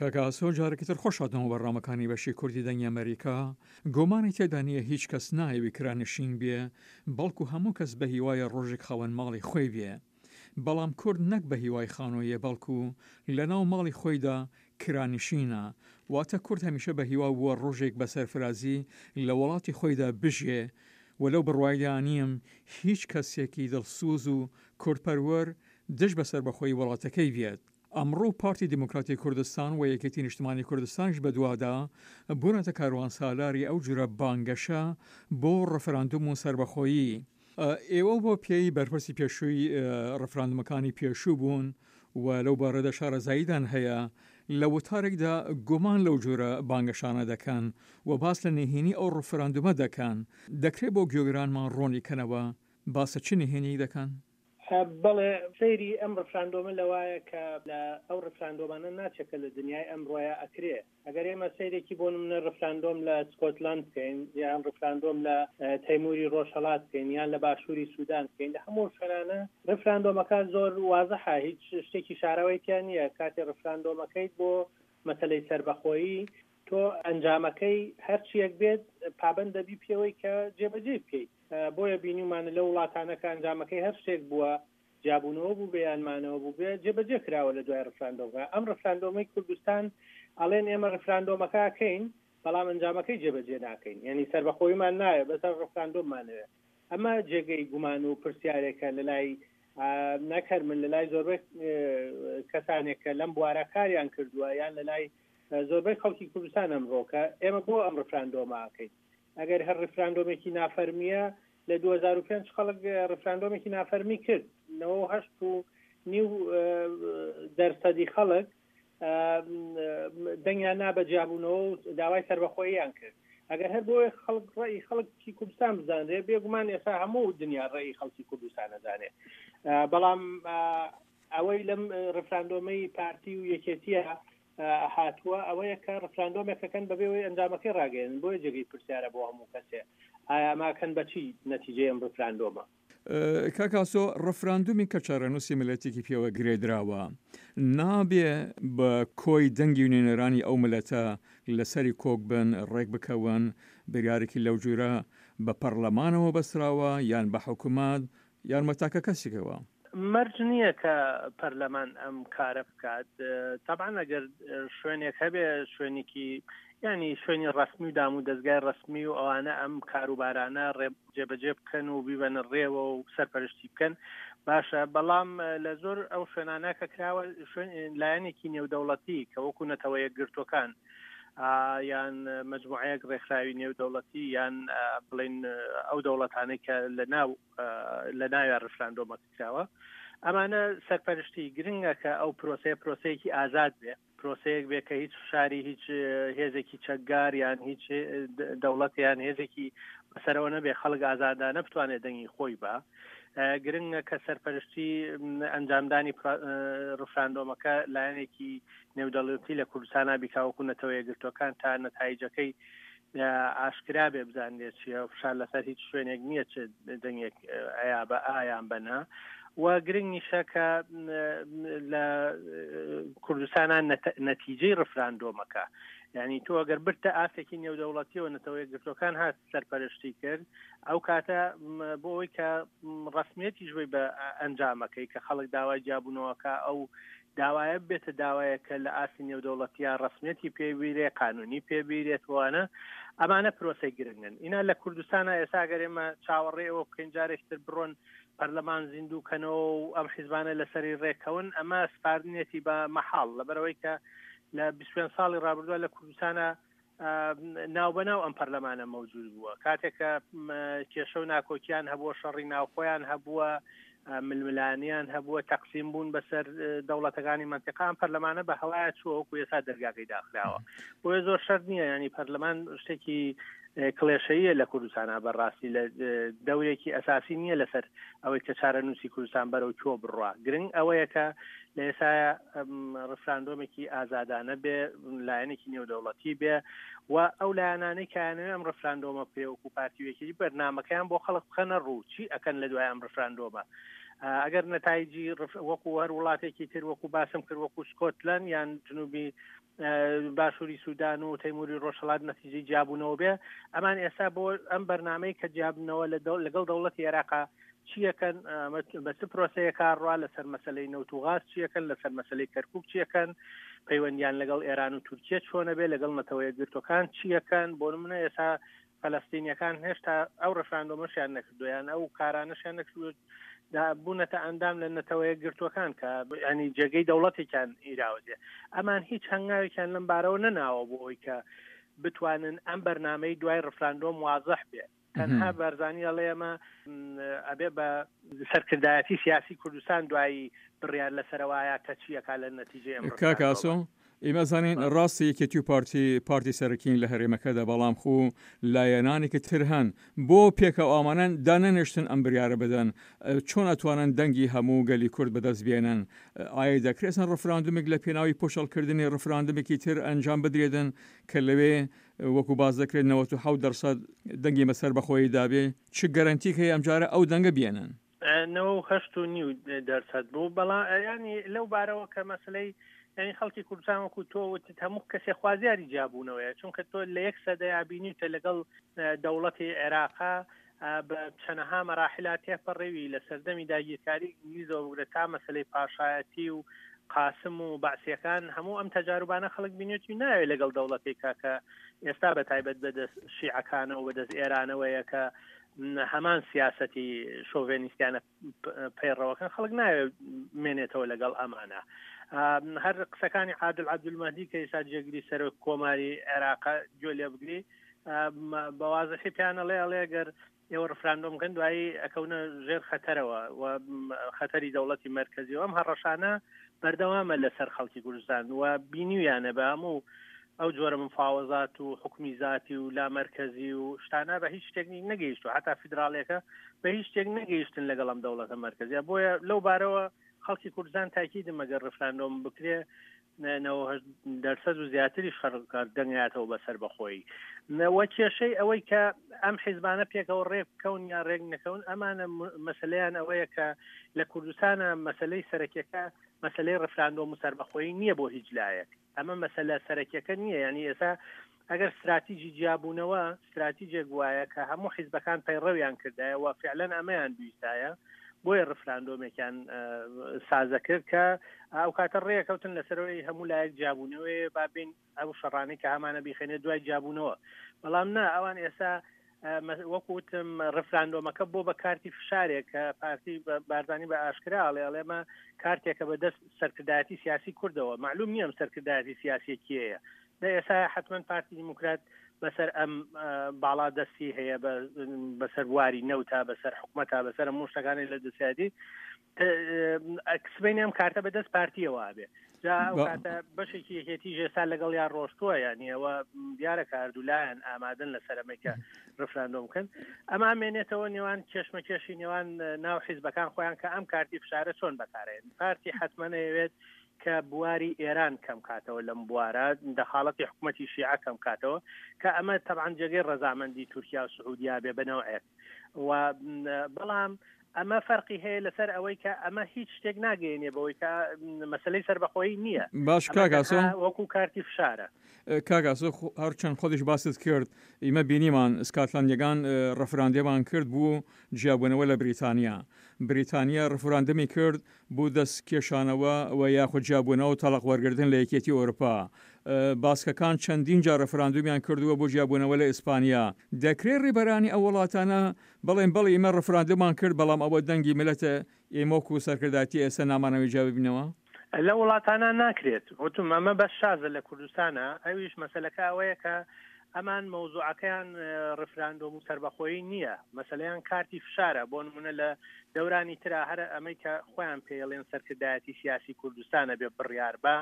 کاک ئاسۆ جارێکی تر خۆش هاتنەوە بەرنامەکانی بەشی کوردی دەنگی ئەمەریکا. گومانی تێدا نییە هیچ کەس نایەوی کرانشین بێ بەڵکو هەموو کەس بە هیوایە ڕۆژێک خاوەن ماڵی خۆی بێ. بەڵام کورد نەک بە هیوای خانوویە بەڵکو لە ناو ماڵی خۆیدا کرانشینە. واتە کورد هەمیشە بە هیوا بووە ڕۆژێک بە سەرفرازی لە وڵاتی خۆیدا بژیێ و لەو بڕوایدا نیم هیچ کەسێکی دڵسوز و کوردپەروەر دژ بە سەربەخۆیی وڵاتەکەی بێت. ئەمڕۆ پارتی دیموکراتی کوردستان و یەکێتی نیشتمانی کوردستانیش بەدوادا بوونەتە کاروانسالاری ئەو جورە بانگەشە بۆ ڕفراندوم و سەربەخۆیی. ئێوە بۆ پێی بەرپرسی پێشووی ڕفراندومەکانی پێشوو بوون و لەو بارەدا شارەزاییتان هەیە، لە وتارێکدا گومان لەو جورە بانگەشانە دەکەن و باس لە نهێنی ئەو ڕفراندومە دەکەن، دەکرێ بۆ گوێگرانمان ڕوونی کەنەوە باس چ نهێنییەک دەکەن؟ بەڵێ سەیری ئەم ڕفراندۆمە لەوایە کە لە ئەو ڕفراندۆمانە ناچێ کە لە دنیای ئەمڕۆیا ئەکرێ. ئەگەر ئێمە سەیرێکی بۆ نمونە ڕفراندۆم لە سکۆتلەند بکەین یان ڕفراندۆم لە تەیموری ڕۆژهەڵات بکەین یان لە باشووری سوودان بکەین لە هەموو شوێنانە ڕفراندۆمەکە زۆر وازحە هیچ شتێکی شاراوەی تیا نییە کاتێ ڕفراندۆمەکەیت بۆ مەسەلەی سەربەخۆیی تۆ ئەنجامەکەی هەرچیەک بێت پابەند دەبی پێوەی کە جێبەجێی بکەیت. بۆیە بینیومانە لەو وڵاتانە کە ئەنجامەکەی هەر شتێک بووە، جیابوونەوە بووبێ یان مانەوە بووبێ، جێبەجێ کراوە لە دوای ڕفراندۆمەکە. ئەم ڕفراندۆمەی کوردستان ئەڵێن ئێمە ڕفراندۆمەکە ئەکەین، بەڵام ئەنجامەکەی جێبەجێ ناکەین. یانی سەربەخۆییمان ناوێ، بەس هەر ڕفراندۆممانەوێ. ئەمە جێگەی گومان و پرسیارێکە لە لای نەک هەر من، لە لای زۆربەی کەسانێک کە لەم بوارە کاریان کردووە یان لە لای زۆربەی خەڵکی کوردستان ئەمڕۆ کە ئێمە بۆ ئەم ڕفراندۆمە ئەکەین. ئەگەر هەر ڕیفراندۆمێکی نافەرمییە، لە 2005 خەڵک ڕیفراندۆمێکی نافەرمی کرد، 98 و نیو دەرسەدی خەڵک دەنگیان نا بە جیابوونەوە و داوای سەربەخۆییان کرد. ئەگەر هەر بۆیە خەڵک ڕەئی خەڵکی کوردستان بزانرێ، بێگومان ئێستا هەموو دنیا ڕەئی خەڵکی کوردستان ئەزانێ. بەڵام ئەوەی لەم ڕیفراندۆمەی پارتی و یەکێتیە هاتووە ئەوەیە کە ڕفراندۆمێک ئەکەن بەبێ ئەوەی ئەنجامەکەی ڕاگەیەنن، بۆیە جێگەی پرسیارە بۆ هەموو کەسێ ئایا ئەمە ئەکەن بە چی نەتیجەی ئەم ڕفراندۆمە؟ کاک ئاسۆ، ڕفراندومی کە چارەنووسی میللەتێکی پێوە گرێدراوە، نابێ بە کۆی دەنگی نوێنەرانی ئەو میللەتە لەسەری کۆک بن، ڕێک بکەون، بریارێکی لەو جورە بە پەڕلەمانەوە بەستراوە یان بە حکومەت یان بە تاکە کەسێکەوە؟ مەرج نییە کە پەرلەمان ئەم کارە بکات، تەبعەن ئەگەر شوێنێک هەبێ شوێنێکی یانی شوێنی ڕەسمی و دام و دەزگای ڕەسمی و ئەوانە ئەم کاروبارانە ڕێ جێبەجێ بکەن و بیبەنە ڕێوە و سەرپەرشتی بکەن باشە، بەڵام لە زۆر ئەو شوێنانە کە کراوە شوێن لایەنێکی نێودەوڵەتی کە وەکو نەتەوە یەکگرتووەکان یان مەجموعەیەک ڕێکخراوی نێودەوڵەتی یان بڵین ئەو دەوڵەتانەی کە لە ناو لە ناویا ڕفراندۆمەکە کراوە ئەمانە سەرپەرشتی گرنگە کە ئەو پرۆسەیە پرۆسەیەکی ئازاد بێ پرۆسەیەک بێ کە هیچ فشاری هیچ هێزێکی چەکگار یان هیچ دەوڵەت یان هێزێکی بەسەرەوە نەبێ خەڵک ئازادانە بتوانێت دەنگی خۆی بە گرنگە کە سەرپەرشتی ئەنجامدانی ڕفراندۆمەکە لایەنێکی نێودەڵەتی لە کوردستانا بیکا وەکو نەتەوە یەکگرتووەکان تا نەتایجەکەی ئاشکرا بێ بزانرێت چییە فشار لەسەر هیچ شوێنێک نییە چ دەنگێک ئەیا بە ئایان بەنا و گرنگ نیشە کە لە کوردستانە نەتیجەی ڕفراندۆمەکە یعنی تۆ ئەگەر برتە ئاستێکی نێودەوڵەتیەوە نەتەوە یەکگرتوەکان هات سەرپەرشتی کرد ئەو کاتە بۆ ئەوەی کە ڕسمیەتیش بی بە ئەنجامەکەی کە خەڵک داوای جیابوونەوەکە ئەو داوایە ببێتە داوایەک کە لە ئاستی نێودەوڵەتییا ڕەسمیەتی پێ بیرێ، قانوونی پێ بیرێت وانە. ئەمانە پرۆسەی گرنگن. ئینا لە کوردستانا ئێستا ئەگەر ئێمە چاوەڕێی ئەوە بکەین جارێکی تر بڕۆن پەرلەمان زیندوو کەنەوە و ئەم حیزبانە لەسەری ڕێککەون، ئەمە سپاردنێتی بە مەحاڵ. لەبەرئەوەی کە لە 25 ساڵی ڕابردووە لە کوردستانا ناوبەناو ئەم پەرلەمانە مەوجود بووە کاتێک کە کێشە و ناکۆکیان هەبووە شەڕی ناوخۆیان هەبووە ململانیان هەبووە تەقسیم بوون بەسەر دەوڵەتەکانی منتیقا ئەم پەرلەمانە بە هەوایە چووە وەکو ئێستا دەرگاکەی داخراوە بۆیە زۆر شەرت نییە ینی پەرلەمان شتێکی کڵێشەیە لە کوردستانە بەڕاستی لە دەورێکی ئەساسی نییە لەسەر ئەوەی کە چارەنووسی کوردستان بەرەو کوێ بڕوا گرنگ ئەوەیە کە لە ئێسایا ڕفراندۆمێکی ئازادانە بێ لایەنێکی نێودەوڵەتی بێ و ئەو لایەنانەی کایانەوە ئەم ڕفراندۆمە بکرێ وەکو پارتی وێکیی بەرنمەکەیان بۆ خەڵک بخەنە ڕوو چی ئەکەن لە دوای ئەم ڕفراندۆمە ئەگەر نەتایجی وەکو هەر وڵاتێکی تر وەکو باسم کرد وەکو سکۆتلەند یان جنوبی باشووری سوودان و تەیموری ڕۆژهەڵات نەتیجەی جیابوونەوە بێ. ئەمان ئێستا بۆ ئەم بەرنامەی کە جیابنەوە لەگەڵ دەوڵەتی عێراقا چیەکەن، بە چ پرۆسەیەکا ڕوا لەسەر مەسلەی نەوت و غاز چیەکەن، لەسەر مەسلەی کەرکک چیەکەن، پەیوەندیان لەگەڵ ئێران و تورکیە چۆنە بێ، لەگەڵ نەتەوە یەکگرتوەکان چیەکەن. بۆ نمونە ئێستا فەلەستینیەکان هێشتا ئەو ڕفراندۆمەشیان نەکردو یان ئەو کارانەشیان نەکردو بوونەتە ئەندام لە نەتەوە یەکگرتووەکان کە ینی جێگەی دەوڵەتێکیان ئیراوەێ. ئەمان هیچ هەنگاوێکیان لەم بارەوە نەناوە بۆ ئەوی کە بتوانن ئەم بەرنمەی دوای ڕفراندۆم وازح بێ. تەنها بارزانی ئەڵێ ئەمە ئەبێ بە سەرکردایەتی سیاسی کوردستان دوایی بڕیار لەسەرەوایە کە چیەکە لە نەتیجەی ئەم کاک ئاسۆ ئێمە زانین ڕاستە یەکێتی و پارتی پارتی سەرەکین لە هەرێمەکەدا، بەڵام خو لایەنانێکی تر هەن بۆ پێکەوە ئامانەن دانەنێشتن ئەم بریارە بدەن. چۆن ئەتوانن دەنگی هەموو گەلی کورد بەدەست بێنن؟ ئایا دەکرێت ڕفراندومێک لە پێناوی پوچەڵکردنی ڕفراندومێکی تر ئەنجام بدرێتن کە لەوێ وەکو باس دەکرێت 97 دەرسەد دەنگی مەسەر بەخۆی دابێ؟ چ گەرەنتیک هەیە ئەمجارە ئەو دەنگە بێنن؟ 98.5 دەرسەد بوو. بەڵام ینی لەو بارەوە کە مەسلەی ینی خەڵکی کوردستان وەکو تۆ وتت هەموو کەسێ خوازیاری جیابوونەوەیە، چونکە تۆ لە یەک سەدەیا بینیوتە لەگەڵ دەوڵەتی عێراقا بە چەنەها مەراحلا تێپەڕیوی، لە سەردەمی داگیرکاری ئینگلیزەوە بگرە تا مەسلەی پاشایەتی و قاسم و بەعسیەکان، هەموو ئەم تەجاروبانە خەڵک بینێتی ناوێت لەگەڵ دەوڵەتێکا کە ئێستا بە تایبەت بەدەست شیعەکانەوە بەدەست ئێرانەوەیە کە هەمان سیاسەتی شۆڤێنیستیانە پەیڕەوەکەن، خەڵک ناوێت مێنێتەوە لەگەڵ ئەمانە. هەر قسەکانی عادل عەبدولمەهدی کە ئێستا جێگری سەرۆک کۆماری عێراق گوێ لێ بگری بەوازحی پیانەڵێ ئەڵێ گەر ئێوە ڕفراندۆم بکەن دوایی ئەکەونە ژێر خەتەرەوە و خەتەری دەوڵەتی مەرکەزی و ئەم هەڕەشانە بەردەوامە لەسەر خەڵکی کوردستان و بینیویانە بە هەموو ئەو جۆرە مفاوەزات و حکومی زاتی و لامەرکەزی و شتانە بە هیچ شتێک نەگەیشتو، حتا فیدراڵیەکە بە هیچ شتێک نەگەیشتن لەگەڵ ئەم دەوڵەتە مەرکەزیە. بۆیە لەو بارەوە خەڵکی کوردستان تاکیدم ئەگەر ڕفراندۆم بکرێ 98 دەرسەد و زیاتریش خەڵک دەنگاتەوە بە سەربەخۆیی. وە کێشەی ئەوەی کە ئەم حیزبانە پێکەوە ڕێک بکەون یا ڕێک نەکەون، ئەمانە مەسلەیان ئەوەیە کە لە کوردستانە مەسلەی سەرەکیەکە مەسلەی ڕفراندۆم و سەربەخۆیی نییە بۆ هیچ لایەک. ئەمە مەسەلە سەرەکیەکە نییە. یعنی ئێستا ئەگەر استراتیجی جیابوونەوە استراتیجێک وایە کە هەموو حیزبەکان پەیڕەویان کردایە و فعلەن ئەمەیان بیستایە، بۆیە ڕفراندۆمێکیان سازە کرد کە ئەو کاتە ڕێکەوتن لەسەرەوەی هەموو لایەک جیابوونەوەی بابین ئەو شەڕانەی کە هەمانە بیخێنێ دوای جیابوونەوە. بەڵام نا، ئەوان ئێستا وەکو وتم ڕفراندۆمەکە بۆ بە کارتی فشارێک کە پارتی بارزانی بە ئاشکرا ئەڵێ ئەڵێمە کارتێکە بە دەست سەرکردایەتی سیاسی کوردەوە. معلوم نییە ئەم سەرکردایەتی سیاسی کێیە. لە ئێستا حتمما پارتی دیموکرات بەسەر ئەم باڵا دەستی هەیە بەسەر بواری نەوتا، بەسەر حکومەتا، بەسەر هەموو شتەکانی لە دەسیادی. سبەینێ ئەم کارتە بەدەست پارتیەوە بێ، جا ئەو کاتە بەشێکی یەکێتی ژێستا لەگەڵ یان ڕۆشتووە، یعنی ئەوە دیارە کە هەردوو لایەن ئامادەن لەسەر ئەمەی کە ڕفراندۆم بکەن. ئەمە مێنێتەوە نێوان کێشمەکێشی نێوان ناو حیزبەکان خۆیان کە ئەم کارتی فشارە چۆن بەکارێن. پارتی حتمما ئەیەوێت کە بواری ئێران کەم کاتەوە لەم بوارە، دەخاڵەتی حکوومەتی شیعە کەم کاتەوە، کە ئەمە تەبعەن جێگەی ڕەزامەندی تورکیا و سعودیا بێ بەنەوعێک و بەڵام ئەمە فەرقی هەیە لەسەر ئەوەی کە ئەمە هیچ شتێک ناگەیەنێ بەوەی کە مەسلەی سەربەخۆیی نییە. باش کاک ئاسۆ، وەکو کارتی فشارە. کاک ئاسۆ هەرچەند خۆتیش باست کرد ئیمە بینیمان سکاتلەندیەکان ڕفراندێمان کرد بوو جیابوونەوە لە بریتانیا، بریتانیا ڕفراندمی کرد بو دەست کێشانەوە و یاخود جیابوونەوە و تەڵاق وەرگرتن لە یەکێتی ئەوروپا. باسکەکان چەندین جار ڕفراندومیان کردووە بۆ جیابوونەوە لە ئیسپانیا. دەکرێ ڕیبەرانی ئەو وڵاتانە بڵێن بەڵی ئیمە ڕفراندومان کرد بەڵام ئەوە دەنگی میللەتە ئێمە وەکو سەرکردایەتی ئێستا نامانەوێ جیا ببینەوە؟ لە وڵاتانە ناکرێت. وتم ئەمە بەس شازە لە کوردستانە، ئەویش مەسەلەکە ئەوەیە کە ئەمان مەوزوعەکەیان ڕفراندۆم و سەربەخۆیی نییە، مەسەلەیان کارتی فشارە. بۆ نمونە لە دەورانی ترا هەر ئەمەی کە خۆیان پێیڵێن سەرکردایەتی سیاسی کوردستانە بێ بڕیار بە،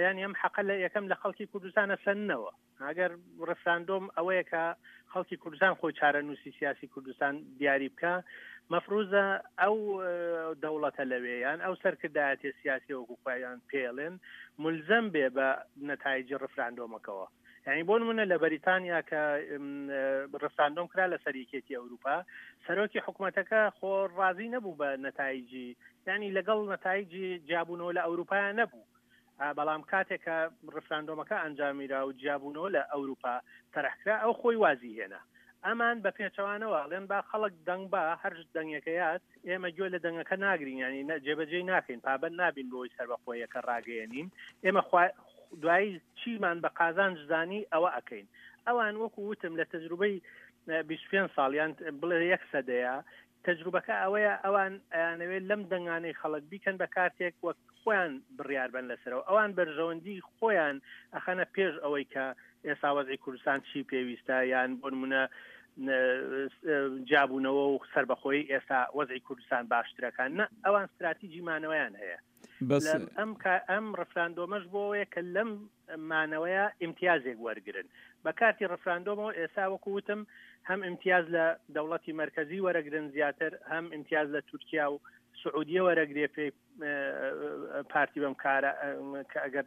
یانی ئەم حەقە لە یەکەم لە خەڵکی کوردستانە سەننەوە. ئەگەر ڕفراندۆم ئەوەیە کە خەڵکی کوردستان خۆی چارەنووسی سیاسی کوردستان دیاری بکە، مەفروزە ئەو دەوڵەتە لەوێ یان ئەو سەرکردایەتی سیاسی وەکو خۆیان پێڵێن ملزەم بێ بە نەتایجی ڕفراندۆمەکەوە. یعنی بۆ نمونە لە بەریتانیا کە ڕفراندۆم کرا لەسەر یەکێتی ئەوروپا، سەرۆکی حکوومەتەکە خۆ ڕازی نەبوو بە نەتایجی، یعنی لەگەڵ نەتایجی جیابوونەوە لە ئەوروپا نەبوو. بەڵام کاتێک کە ڕفراندۆمەکە ئەنجامیرا و جیابوونەوە لە ئەوروپا تەرحکرا ئەو خۆی وازی هێنا. ئەمان بە پێچەوانەوە ئەڵێن با خەڵک دەنگ با هەر دەنگێکەیات ئێمە گوێ لە دەنگەکە ناگرین یانی جێبەجێی ناکەین پابەند نابین بەوەی سەربەخۆیەکە ڕاگەیەنین ئێمە دوایی چیمان بە قازانج زانی ئەوە ئەکەین ئەوان وەکو وتم لە تەجروبەی 25 ساڵ یان بڵێ یەک سەدەیە تەجروبەکە ئەوەیە ئەوان ئەیانەوێت لەم دەنگانەی خەڵک بیکەن بە کارتێک وەک خۆیان بڕیار بەن لەسەرەوە ئەوان بەرژەوەندی خۆیان ئەخەنە پێش ئەوەی کە ئێستا وەزعی کوردستان چی پێویستە یان بۆ نمونە جیابوونەوە و سربەخۆی ئێستا وەزعی کوردستان باشترەکان نە ئەوان استراتیجی مانەوەیان هەیە بەس ئەم ئەم ڕفراندۆمەش بۆەیە کە لەم مانەوەیە ئیمتیازێک وەرگن بە کارتی ڕفراندۆمەوە ئێستا وەکو وتم هەم ئیمتیاز لە دەوڵەتی مرکزی وەرەگرن زیاتر هەم ئیمتیاز لە تورکیا و سعودیە وەرەگرێ پێی پارتی بەم کارە کە ئەگەر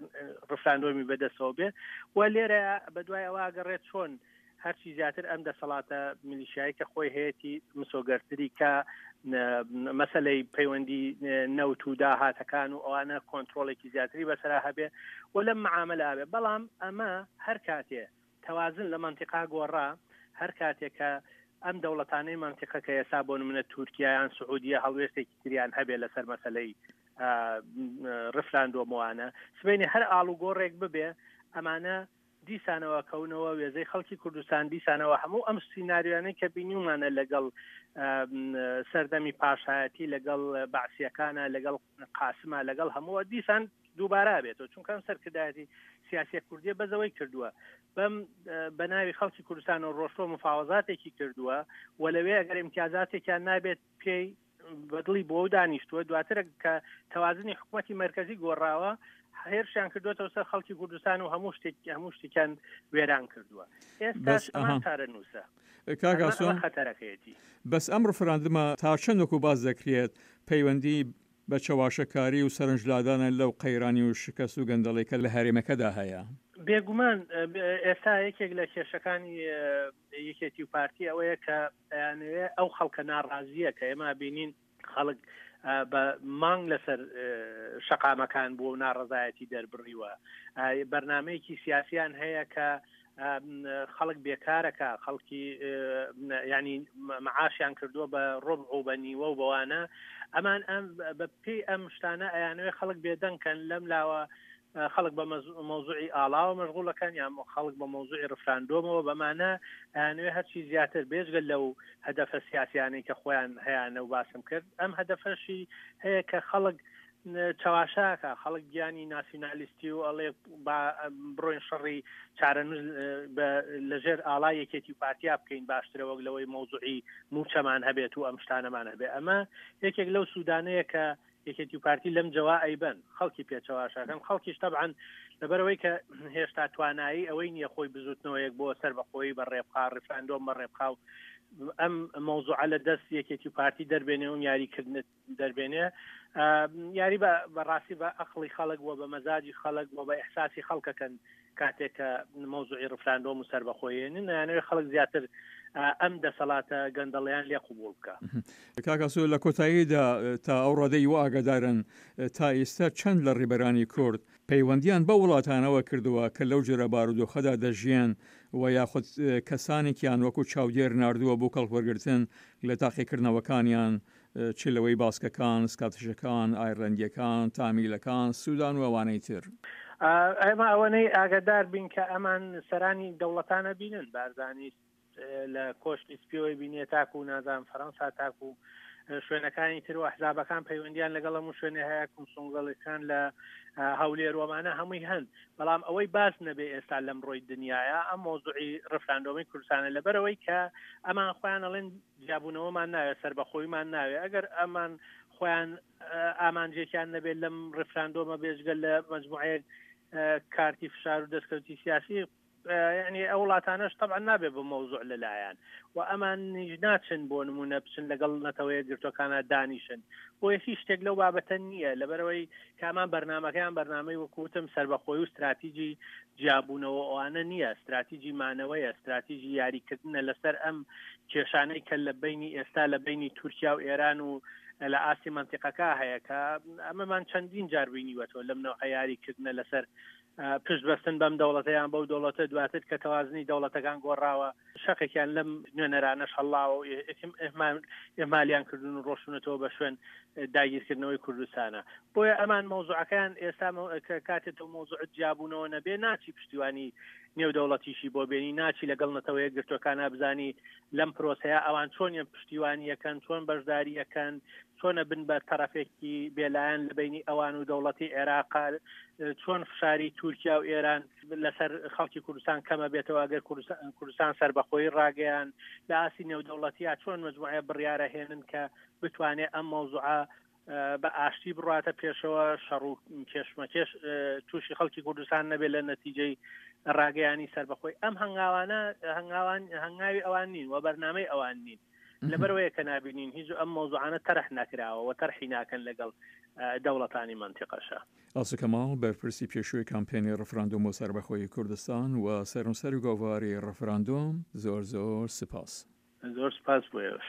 ڕفراندۆمی بەدەستەوە بێ و لێرە بەدوای ئەوە گەڕێت چۆن هەرچی زیاتر ئەم دەسەڵاتە میلیشایی کە خۆی هەیەی مسۆگەرتری کە مەسلەی پەیوەندی نەوت و داهاتەکان و ئەوانە کۆنتترۆلێکی زیاتری بەسرا هەبێ و لەم معاملە بێ بەڵام ئەمە هەر کاتێ تەوازن لە مەنتیقا گۆڕا، هەر کاتێک کە ئەم دەوڵەتانەی مەنتیقە کە ئێستا بۆ نمونە تورکیا یان سعودیە هەڵوێستێکی تریان هەبێ لەسەر مەسەلەی ڕفراندۆمەوانە سبەینێ هەر ئاڵوگۆڕێک ببێ ئەمانە دیسانەوە کەونەوە وێزەی خەڵکی کوردستان دیسانەوە هەموو ئەم سیناریۆیانەی کە بینیومانە لەگەڵ سەردەمی پاشایەتی لەگەڵ بەعسیەکانە لەگەڵ قاسمە لەگەڵ هەمووە دیسان دووبارە بێتەوە چونکە ئەم سەرکردایەتی سیاسیە کوردیە بەزەوەی کردووە بەم بە ناوی خەڵکی کوردستان و ڕۆشتۆ مفاوەزاتێکی کردووە و لەوێ ئەگەر امتیازاتێکیان نابێت پێی بەدڵی بۆ دانیشتووە دواتر کە تەوازنی حکوومەتی مرکزی گۆڕاوە هێرشیان کردوێتەوە سەر خەڵکی کوردستان و هەموو شتێک هەموو شتێکیان وێران کردووە ئێستا چارەنووسە خەتەرەکەیەتی بەس ئەم ڕفراندمە تا چەند وەکو باس دەکرێت پەیوەندی بە چەواشەکاری و سەرنجلادانە لەو قەیرانی و شکەست و گەندەڵی کە لە هەرێمەکەدا هەیە. بێگومان ئێستا یەکێک لە کێشەکانی یەکێتی و پارتی ئەوەیە کە ئەیانەوێ ئەو خەڵکە ناڕازیە کە ئێمە بینین خەڵک بە مانگ لەسەر شەقامەکان بووە و ناڕەزایەتی دەربڕیوە بەرنمەیەکی سیاسیان هەیە کە خەڵک بێکارەکە خەڵکی ینی معاشیان کردووە بە ڕۆبع و بە نیوە و بەوانە ئەمان ئەم بە پێی ئەم شتانە ئەیانەوێ خەڵک بێدەنگکەن لەم لاوە خەڵک بە مەوزوعی ئاڵاوە مەشغوڵەکەن یان خەڵک بە مەوزوعی ڕفراندۆمەوە بەمانە ئەیانەوێ هەرچی زیاتر بێجگە لەو هەدەفە سیاسیانەی کە خۆیان هەیانە و باسم کرد ئەم هەدەفەشی هەیە کە خەڵک چەواشاکە خەڵک گیانی ناسیونالیستی و ئەڵێ با بڕۆین شەڕی چارەنووس لەژێر ئاڵا یەکێتی و پارتیا بکەین باشترە وەک لەوەی مەوزوعی موچەمان هەبێت و ئەم شتانەمان هەبێت ئەمە یەکێک لەو سوودانەیە کە یەکێتی و پارتی لەم جەوا ئەیبەن خەڵکی پێچەواشەکەن خەڵکیش تەبعەن لەبەرەوەی کە هێشتا توانایی ئەوەی نییە خۆی بزوتنەوەیەک بۆ سەر بەخۆی بە ڕێبخا ڕیفراندۆم بە ڕێبخا و ئەم مەوزوعە لە دەست یەکێتی و پارتی دەربێنێ و یاریکردنت دەربێنێ یاری بە بەڕاستی بە ئەقڵی خەڵک و بە مەزاجی خەڵک و بە ئیحساسی خەڵکەکەن کاتێک کە مەوزوعی ڕفراندۆم و سەربەخۆیێنن ئەیانەوێ خەڵک زیاتر ئەم دەسەڵاتە گەندەڵیان لێ قوبوڵ بکە. کاک ئاسۆ لە کۆتاییدا تا ئەو ڕادەی وا ئاگادارن تا ئیستا چەند لە ڕیبەرانی کورد پەیوەندیان بەو وڵاتانەوە کردووە کە لەو جۆرە بارودۆخەدا دەژیێن و یاخود کەسانێکیان وەکو چاودێر ناردووە بۆ کەڵکوەرگرتن لە تاقیکردنەوەکانیان چ لەوەی باسکەکان، سکاتشەکان، ئایرلەندییەکان، تامیلەکان، سودان و ئەوانەی تر. ئێمە ئەوەنەی ئاگادار بین کە ئەمان سەرانی دەوڵەتانە بینن، بارزانی لە کۆشکی سپیەوەی بینیە تاکو نازانم فەرەنسا تاکو شوێنەکانی تر و ئەحزابەکان پەیوەندیان لەگەڵ هەموو شوێنێ هەیە، کونسونگەڵەکان لە هەولێر وەمانە هەمووی هەن، بەڵام ئەوەی باس نەبێ ئێستا لەم ڕۆی دنیاە ئەم مەوزوعی ڕفراندۆمی کوردستانە لەبەرەوەی کە ئەمان خۆیان ئەڵێن جیابوونەوەمان ناوێت سەربەخۆیمان ناوێت ئەگەر ئەمان خۆیان ئامانجێکیان نەبێت لەم ڕفراندۆمە بێجگە لە مجموعەیەک کارتی فشار و دەستکەوتی سیاسی یعنی ئەو وڵاتانەش طبعا نابێ بە مەوزوع لەلایەن و ئەمان نیش ناچن بۆ نمونە بچن لەگەڵ نەتەوەیە گرتوەکانە دانیشن بۆیە هیچ شتێک لەو بابەتە نییە لەبەرەوەی کامان بەرنمەکەیان بەرنمەی وەکوتم سربەخۆی و استراتیجی جیابوونەوە ئەوانە نییە استراتیجی مانەوەیە استراتیجی یاریکردنە لەسەر ئەم کێشانەی کە لە بینی ئێستا لە بینی تورکیا و ئێران و لە ئاستی مەنتیقەکە هەیە کە ئەمەمان چەندین جار بینیوەتەوە لەم نەوعە یاریکردنە لەسەر پشت بەستن بەم دەوڵەتە یان بەو دەوڵەتە دواتر کە تەوازنی دەوڵەتەکان گۆڕاوە شەقێکیان لەم نوێنەرانەش هەڵاوە و ئێمالیان کردون و ڕۆشتونەتەوە بە شوێن داگیرکردنەوەی کوردستانە بۆیە ئەمان مەوزوعەکەیان ئێستا کاتێ تۆ مەوزوعت جیابوونەوە نەبێ ناچی پشتیوانی نێودەوڵەتیشی بۆ بێنی ناچی لەگەڵ نەتەوە یەکگرتووەکانا بزانی لەم پرۆسەیە ئەوان چۆنیان پشتیوانی یەکەن چۆن بەشداری یەکەن چۆنە بن بە تەرەفێکی بێلایەن لە بینی ئەوان و دەوڵەتی عێراق چۆن فشاری تورکیا و ئێران لەسەر خەڵکی کوردستان کەمە بێتەوە ئەگەر کوردستان سەربەخۆی ڕاگەیان لە ئاستی نێودەوڵەتیا چۆن مجموعە بڕیارە هێنن کە بتوانێت ئەم مەوزوعە بە ئاشتی بڕاتە پێشەوە شەڕ و کێشمەکێش تووشی خەڵکی کوردستان نەبێت لە نەتیجەی ڕاگەیانی سەربەخۆی ئەم هەنگاوانە هەنگاوان هەنگاوی ئەوان نین و بەرنامەی ئەوان نین لەبەرەوەیە کە نابینین هیچ ئەم مەوزوعانە تەرح نەکراوە و تەرحی ناکەن لەگەڵ دەوڵەتانی مەنتیقەشە. ئاسۆ کەماڵ، بەرپرسی پێشووی کامپێنی ڕفراندۆم بۆ سەربەخۆیی کوردستان و سەرنووسەری گۆڤاری ڕفراندۆم، زۆر زۆر سپاس. زۆر سپاس بۆ ئێوەش.